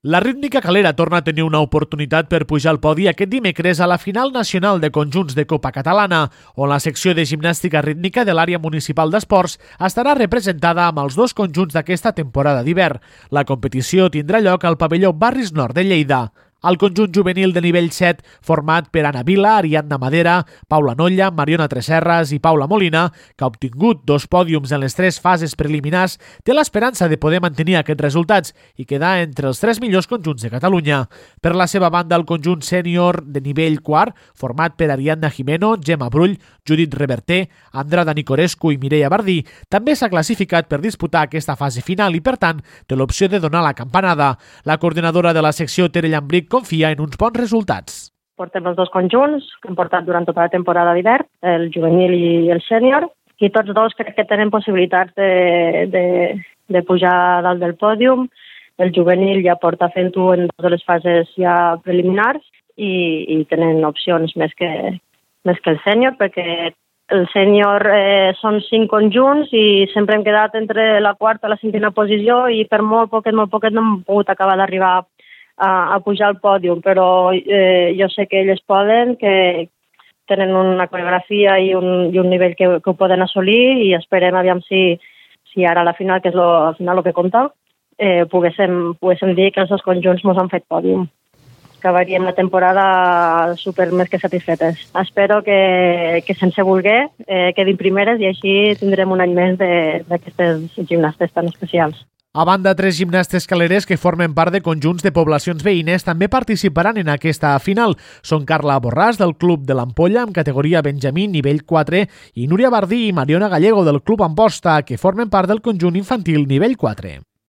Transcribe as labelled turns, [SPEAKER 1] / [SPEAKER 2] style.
[SPEAKER 1] La rítmica Calera torna a tenir una oportunitat per pujar al podi aquest dimecres a la final nacional de conjunts de Copa Catalana, on la secció de gimnàstica rítmica de l'àrea municipal d'esports estarà representada amb els dos conjunts d'aquesta temporada d'hivern. La competició tindrà lloc al pavelló Barris Nord de Lleida. El conjunt juvenil de nivell 7, format per Anna Vila, Ariadna Madera, Paula Nolla, Mariona Tresserras i Paula Molina, que ha obtingut 2 pòdiums en les 3 fases preliminars, té l'esperança de poder mantenir aquests resultats i quedar entre els 3 millors conjunts de Catalunya. Per la seva banda, el conjunt sènior de nivell 4, format per Ariadna Jimeno, Gemma Brull, Judit Reverter, Andrada Nicorescu i Mireia Bardí, també s'ha classificat per disputar aquesta fase final i, per tant, té l'opció de donar la campanada. La coordinadora de la secció, Tere Llambric, confia en uns bons resultats.
[SPEAKER 2] Portem els dos conjunts que hem portat durant tota la temporada d'hivern, el juvenil i el sènior, i tots dos crec que tenen possibilitats de pujar dalt del pòdium. El juvenil ja porta fent-ho en 2 de les fases ja preliminars i tenen opcions més que el sènior, perquè el sènior són 5 conjunts i sempre hem quedat entre la 4ª i la 5ª posició i per molt poquet no hem pogut acabar d'arribar a pujar al pòdium, però jo sé que elles poden, que tenen una coreografia i un nivell que ho poden assolir i esperem aviam si ara a la final, que és al final el que compta, poguéssim dir que els dos conjunts ens han fet pòdium. Acabaríem la temporada super més que satisfetes. Espero que sense voler quedin primeres i així tindrem un any més d'aquestes gimnastes tan especials.
[SPEAKER 1] A banda, 3 gimnastes caleres que formen part de conjunts de poblacions veïnes també participaran en aquesta final. Són Carla Borràs, del Club de l'Ampolla, en categoria Benjamí, nivell 4, i Núria Bardí i Mariona Gallego, del Club Amposta, que formen part del conjunt infantil nivell 4.